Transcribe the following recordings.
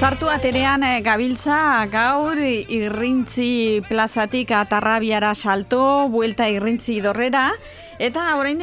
Sartu aterean gabiltza gaur Irrintzi plazatik Atarrabiara salto, buelta Irrintzi dorrera, eta orain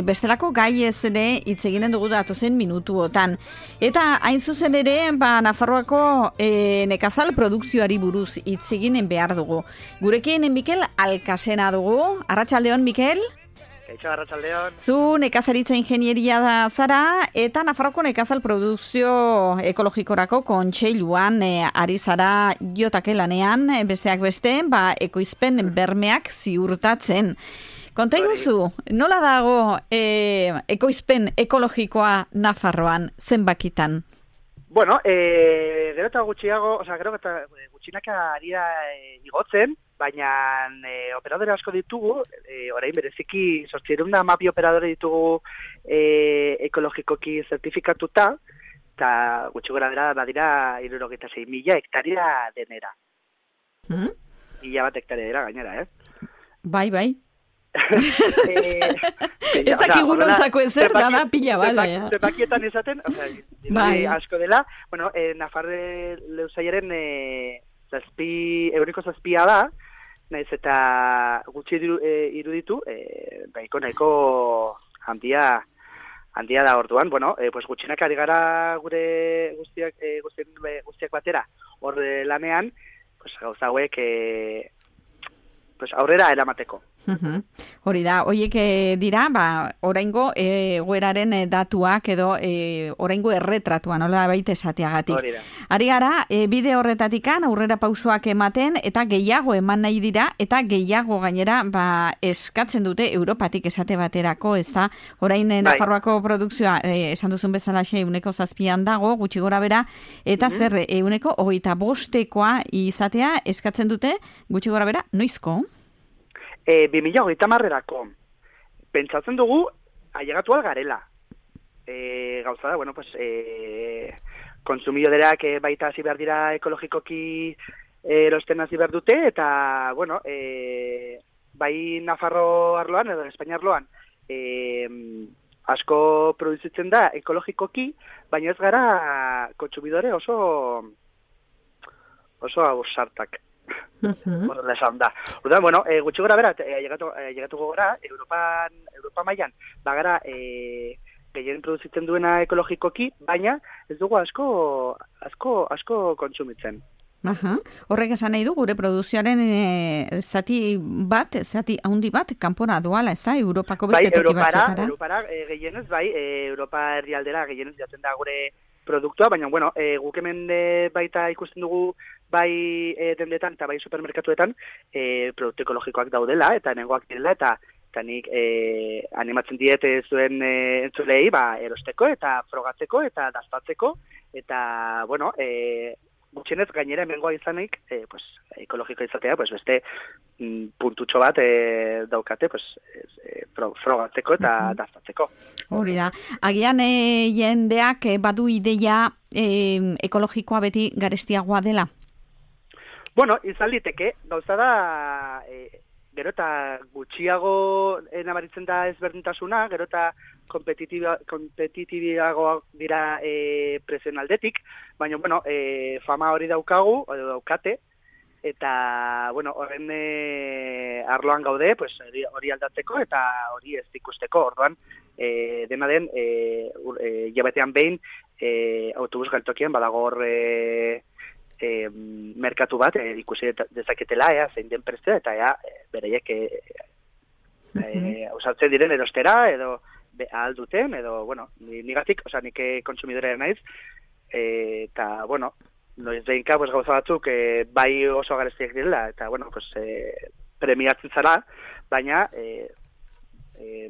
bestelako gai ez ere hitz eginen dugu datozen minutuotan. Eta hain zuzen ere, Nafarroako nekazal produkzioari buruz hitz eginen behar dugu. Gurekin Mikel Alkasena dugu. Arratsaldeon, Mikel? Arratsaldeon. Zu nekazaritza ingenieria da zara eta Nafarroko nekazal produkzio ekologikorako kontseiluan ari zara jotake lanean, besteak beste, ekoizpen bermeak ziurtatzen. Konta iguzu, nola dago ekoizpen ekologikoa Nafarroan zenbakitan? Bueno, gero eta gutxiago, gero eta gutxinaka ari da igotzen, baina operadore asko ditugu, orain bereziki 812 operadore ditugu ekologikoki zertifikatuta, eta gutxi gora bera badira 76.000 hektaria denera. Mila bat hektaria dira gainera, Bai. Ez dakigu nontzako ezer, da pila bala. Zepakietan esaten, asko dela, Nafarre leuzaiaren euriko zazpia da, naiz eta gutxi iruditu, nahiko handia da orduan, gutxinak ari gara gure guztiak batera hor lanean, gauza hauek aurrera eramateko. Hori da, horiek dira, oraingo egoeraren datuak edo oraingo erretratua, nola baita esateagatik. Ari gara, bide horretatikan aurrera pausoak ematen eta gehiago eman nahi dira eta gehiago gainera eskatzen dute Europatik esate baterako, ez da, orain Nafarroako produkzioa esan duzun bezala 7% dago, gutxi gora bera, eta zer 25%koa izatea eskatzen dute, gutxi gora bera, noizko? 2030erako. Pentsatzen dugu, ailegatu algarela. Gauza da, konsumidoreak baita hasi behar dira ekologikoki erosten hasi behar dute, eta, bai Nafarro arloan, edo Espainia arloan, asko produzitzen da ekologikoki, baina ez gara kontsumidore oso ausartak. Horrela esan da. Orduan, gutxi gora bera, llegatuko gora, Europa mailan, bagara gehien produzitzen duena ekologikoki, baina ez dugu asko kontsumitzen. Horrek esan nahi du, gure produkzioaren zati handi bat, kanpora doala, ez da, Europako beste toki batzutara? Europara gehienez, Europa herrialdera gehienez jaten da gure produktua, baina, guk hemen baita ikusten dugu bai dendetan eta bai supermerkatuetan produktu ekologikoak daudela, eta nengoak direla, eta nik animatzen diet zuen entzulei erosteko eta frogatzeko eta daztatzeko, eta, gutxienez gainera hemengoa izanik, ekologiko izatea, beste puntutxo bat daukate, frogatzeko eta daztatzeko. Hori da. Agian jendeak badu ideia ekologikoa beti garestiagoa dela? Izan liteke, gauza da, gero eta gutxiago nabaritzen da ezberdintasuna, gero eta kompetitibiagoak dira prezioen aldetik, baina, fama hori daukagu, edo daukate, eta, horren arloan gaude, hori aldatzeko eta hori ez ikusteko, orduan, dena den, jabetean behin, autobus geltokian, badago hor merkatu bat, ikusi dezaketela, zein den prezioa, eta bereiek usatzen diren erostera, edo ahal duten, edo, nigatik, nik kontsumidorea naiz, eta, noiz behinka, gauza batzuk, bai oso garestiak direla, eta, premiatzen zara, baina,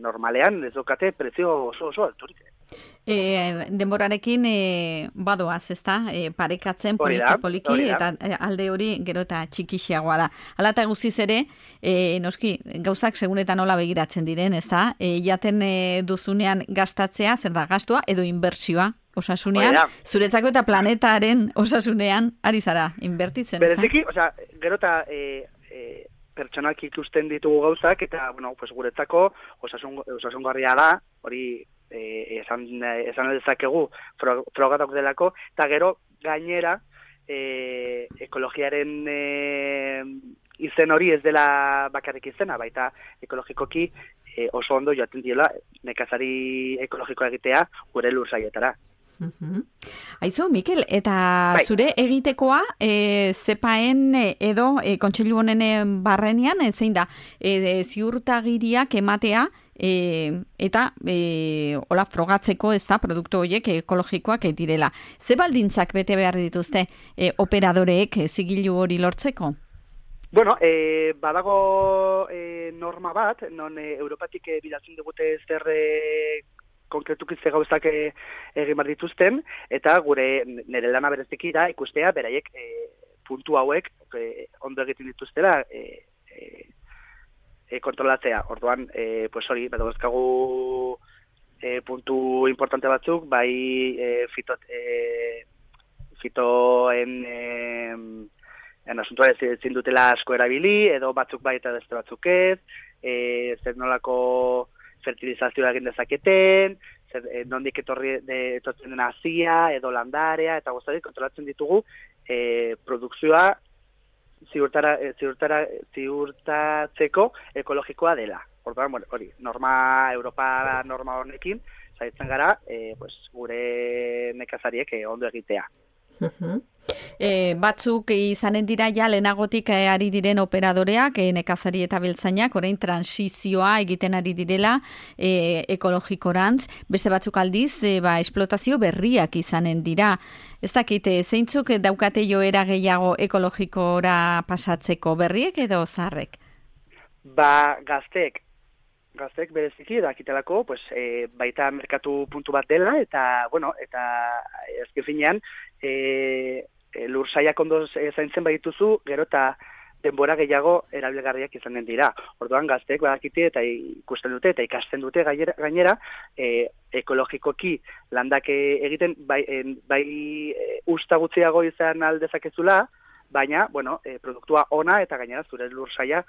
normalean ez dukate prezio oso alturik. Denborarekin badoaz, ezta? Parekatzen poliki, eta alde hori gero eta txikixiagoa da. Hala eta guztiz ere, noski, gauzak segunetan nola begiratzen diren, ezta? Jaten duzunean gastatzea, zer da, gastua edo inbertsioa osasunean, zuretzako eta planetaren osasunean ari zara inbertitzen, ezta? Bereziki, gero eta pertsonak ikusten ditugu gauzak, eta, guretzako osasungarria da, hori esan dezakegu frogatak delako, eta gero gainera ekologiaren izen hori ez dela bakarrik izena, baita ekologikoki oso ondo joaten diela nekazari ekologikoa egitea gure lursaietara. Aizu, Mikel, eta zure egitekoa zepaen edo kontseilu honen barrenean, zein da, ziurtagiriak ematea eta hola frogatzeko ez da produktu horiek ekologikoak direla. Ze baldintzak bete behar dituzte operadoreek zigilu hori lortzeko? Bueno, badago norma bat, non Europatik bidaltzen digute zer konkretuki ze gauzak egin behar dituzten, eta nire lana bereziki da ikustea beraiek puntu hauek ondo egiten dituztela kontrolatzea. Orduan, pues hori, badagozkagu puntu importante batzuk, bai fitoen asuntua ezin dutela asko erabili, edo batzuk bai eta beste batzuk ez, zer nolako fertilizazioa egin dezaketen, nondik etortzen den hazia, edo landarea, eta guztatik kontrolatzen ditugu produkzioa ziurtatzeko ekologikoa dela. Orduan, hori, Europa norma honekin, zaitzen gara, gure nekazariek ondo egitea. Batzuk izanen dira ja lehenagotik ari diren operadoreak, nekazari eta beltzainak, orain transizioa egiten ari direla ekologikorantz, beste batzuk aldiz, esplotazio berriak izanen dira. Ez dakit, zeintzuk daukate joera gehiago ekologikora pasatzeko, berriek edo zarrek? Gazteek bereziki dakitelako, baita merkatu puntu bat dela, eta ezken finean, lursaiak ondo zaintzen badituzu, gero eta denbora gehiago erabilgarriak izanen dira. Orduan gazteek badakite eta ikusten dute eta ikasten dute gainera ekologikoki landak egiten bai usta gutxiago izan aldezakezula, baina produktua ona eta gainera zure lursaia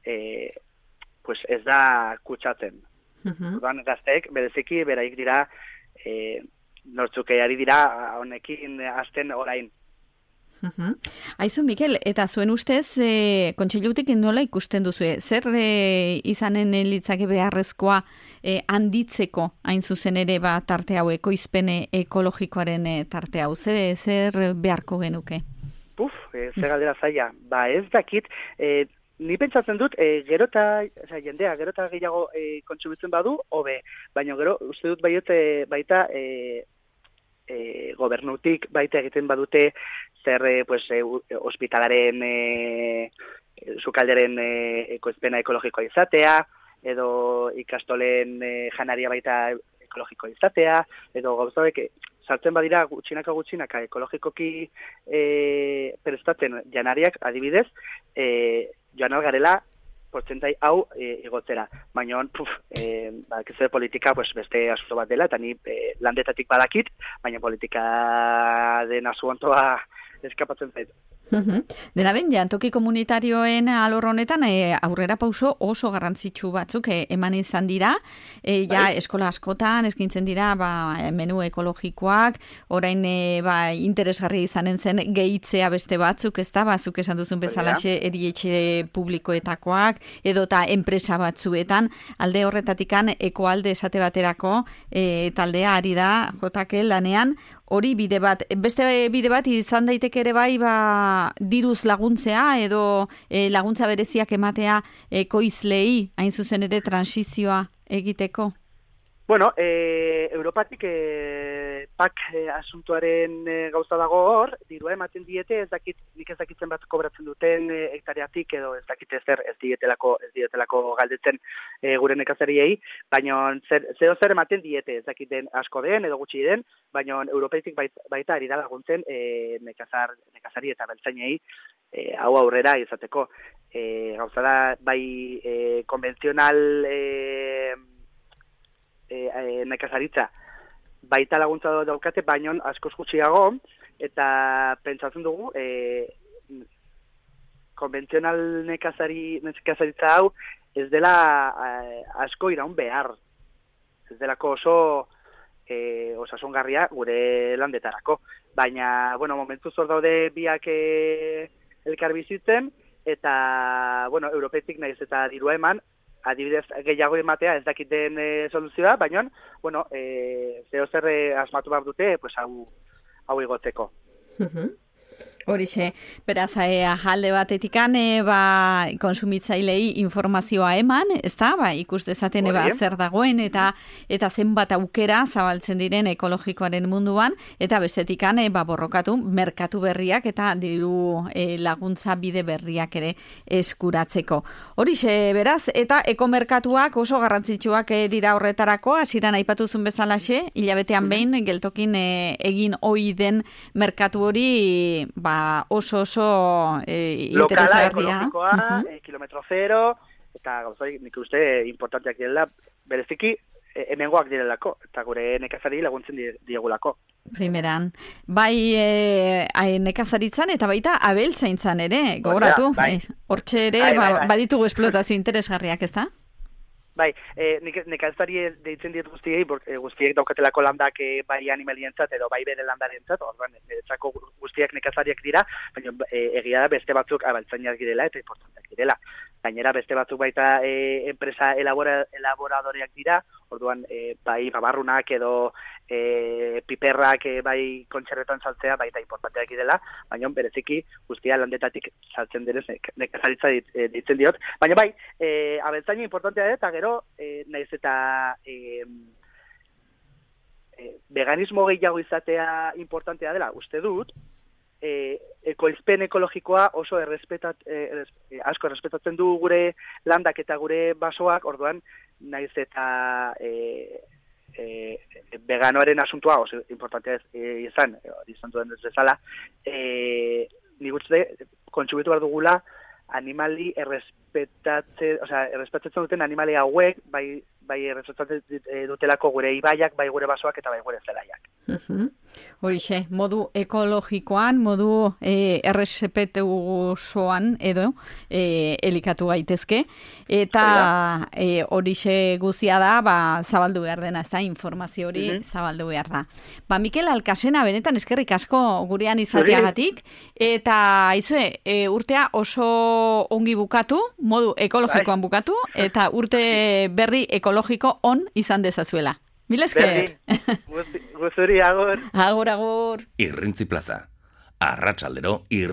ez da kutsatzen. Orduan gazteek bereziki beraik dira nortzuk ari dira honekin hasten orain. Aizu, Mikel, eta zuen ustez, kontseilutik nola ikusten duzu, zer izanen litzake beharrezkoa handitzeko hain zuzen ere tarte hau, ekoizpen ekologikoaren tarte hau, zer beharko genuke? Zer galdera zaila. Ez dakit, ni pentsatzen dut, jendea gero eta gehiago kontsumitzen badu, hobe, baina gero uste dut baita gobernutik baita egiten badute zer ospitalaren sukalderen ekoizpena ekologikoa izatea, edo ikastolen janaria baita ekologikoa izatea, edo gauzabek sartzen badira gutxinaka ekologikoki prestatzen janariak adibidez, joan algarela portzentai hau igotzera. Baina, zer politika beste asunto bat dela, eta ni landetatik badakit, baina politika den asuntoa eskapatzen zaitu. Dena den, jantoki komunitarioen alor honetan aurrera pauso oso garrantzitsu batzuk eman izan dira, eskola askotan eskintzen dira menu ekologikoak, orain interesgarri izanen zen gehitzea beste batzuk, ez da, zuk esan duzun bezalaxe erietxe publikoetakoak, edota enpresa batzuetan, alde horretatikan ekoalde esate baterako taldea ari da jotake lanean, hori bide bat, beste bide bat izan daiteke ere diruz laguntzea edo laguntza bereziak ematea ekoizlei hain zuzen ere transizioa egiteko? Europatik PAK asuntuaren gauza dago hor, dirua ematen diete, nik ez dakitzen bat kobratzen duten hektareatik edo ez dakite zer ez dietelako galdetzen gure nekazariei, baina zer ematen diete, ez dakiten asko den edo gutxi den, baina Europatik baita ari da laguntzen nekazari eta beltzainei hau aurrera izateko. Gauza da, bai konbentzional nekazaritza baita laguntza daukate, baino askoz gutxiago, eta pentsatzen dugu konbentzional nekazaritza hau ez dela asko iraun behar. ez delako oso osasungarria gure landetarako. Baina, bueno, momentu zor daude biak elkar bizitzen, eta, bueno, europetik naiz eta dirua eman, adibidez gehiago ematea ez dakiten soluzioa, baina, bueno, zeo zer asmatu behar dute, pues hau igotzeko. Horixe, beraz, alde batetikan, konsumitzailei informazioa eman, ez da, ikus dezaten zer dagoen, eta zenbat aukera zabaltzen diren ekologikoaren munduan, eta bestetikan, borrokatu, merkatu berriak, eta diru laguntza bide berriak ere eskuratzeko. Horixe, beraz, eta ekomerkatuak oso garrantzitsuak dira horretarako, hasieran aipatuzun bezalaxe, hilabetean behin, geltokin egin ohi den merkatu hori, oso interesgarria. Lokala, ekologikoa, kilometro zero, eta gauzai nik uste importanteak direla, bereziki hemengoak direlako, eta gure nekazari laguntzen diegulako. Primeran. Bai nekazaritzan eta baita abeltzaintzan ere, gogoratu. Hortxe ere, baditugu esplotazio interesgarriak, ez da? Bai, nekazari deitzen diet guztiei, guztiek daukatelako landak bai animalientzat edo bai bere landarentzat, orduan, etzako guztiak nekazariak dira, baina egia da beste batzuk abaltzainak direla eta importanteak direla. Gainera beste batzuk baita enpresa elaboradoreak dira, orduan bai babarrunak edo piperrak bai kontxerretan saltzea baita importanteak direla, baina bereziki guztia landetatik saltzen direz nekazaritza ditzen diot. Baina bai, abeltzaina importantea da, eta gero naiz eta veganismo gehiago izatea importantea dela, uste dut, ekoizpen ekologikoa oso asko errespetatzen du gure landak eta gure basoak, orduan naiz eta veganoaren asuntua oso importantea izan duen ez bezala, nik uste kontsumitu behar dugula animali errespetatzen duten animali hauek, bai errespetatzen dutelako gure ibaiak, bai gure basoak eta bai gure zelaiak. Horixe, modu ekologikoan, modu errespetuosoan edo elikatu gaitezke, eta horixe guztia da, zabaldu behar dena, ez da, informazio hori zabaldu behar da. Mikel Alkasena, benetan eskerrik asko gurean izateagatik, eta urtea oso ongi bukatu, modu ekologikoan bukatu, eta urte berri ekologiko on izan dezazuela. Mil esker. Guzuri, agur. Agur. Irrintzi Plaza. Arratsaldero